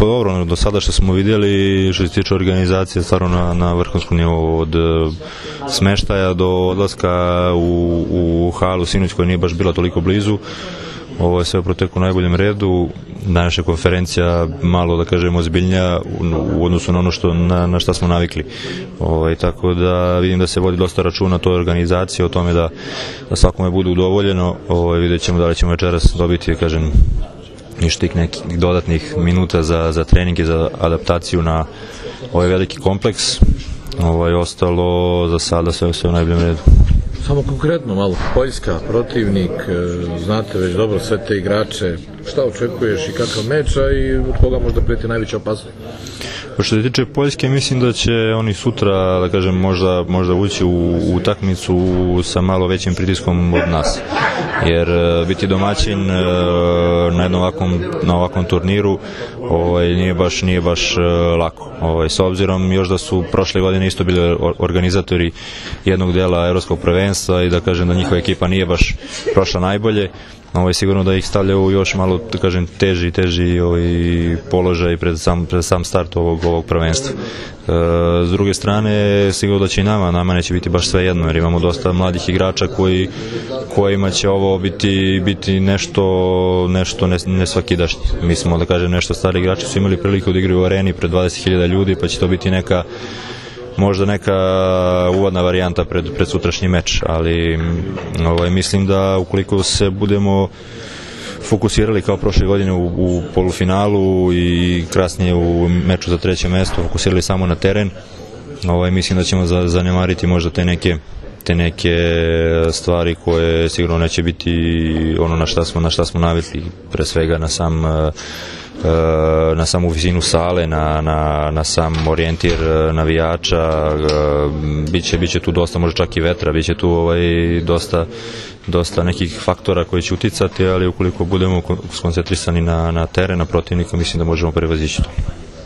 Pa dobro, do sada što smo vidjeli, što se tiče organizacije, stvarno na vrhunskom nivou, od smeštaja do odlaska u halu sinoć koja nije baš bila toliko blizu. Ovo je sve proteku u najboljem redu. Današnja konferencija malo, da kažemo, ozbiljnija u odnosu na ono na šta smo navikli. Tako da vidim da se vodi dosta računa o toj organizaciji, o tome da svakome bude udovoljeno. Vidjet ćemo da li ćemo večeras dobiti, kažem, ništa nekih dodatnih minuta za trening i za adaptaciju na ovaj veliki kompleks. Ostalo za sada sve u najboljem redu. Samo konkretno malo, Poljska, protivnik, znate već dobro sve te igrače, šta očekuješ i kakav meč, a i od koga možda prijeti najveća opasnost? Što se tiče Poljske, mislim da će oni sutra, da kažem, možda ući u utakmicu sa malo većim pritiskom od nas. Jer biti domaćin na ovakvom turniru nije baš lako. S obzirom još da su prošle godine isto bili organizatori jednog dela evropskog prvenstva i da kažem da njihova ekipa nije baš prošla najbolje, sigurno da ih stavljaju još malo, da kažem, teži položaj pred sam start ovog prvenstva. S druge strane, sigurno da će i nama neće biti baš sve jedno, jer imamo dosta mladih igrača kojima će ovo biti nešto nesvakidašnje. Mi smo, da kažem, nešto stari igrači su imali priliku da igraju u areni pred 20.000 ljudi, pa će to biti možda neka uvodna varijanta pred sutrašnji meč, ali mislim da ukoliko se budemo fokusirali kao prošle godine u polufinalu i kasnije u meču za treće mesto, fokusirali samo na teren, mislim da ćemo zanemariti možda te neke stvari koje sigurno neće biti ono na šta smo navikli, pre svega na samu visinu sale, na sam orijentir navijača. Biće tu dosta, možda čak i vetra, biće tu dosta nekih faktora koji će uticati, ali ukoliko budemo skoncentrisani na teren, na protivnika, mislim da možemo prevazići to.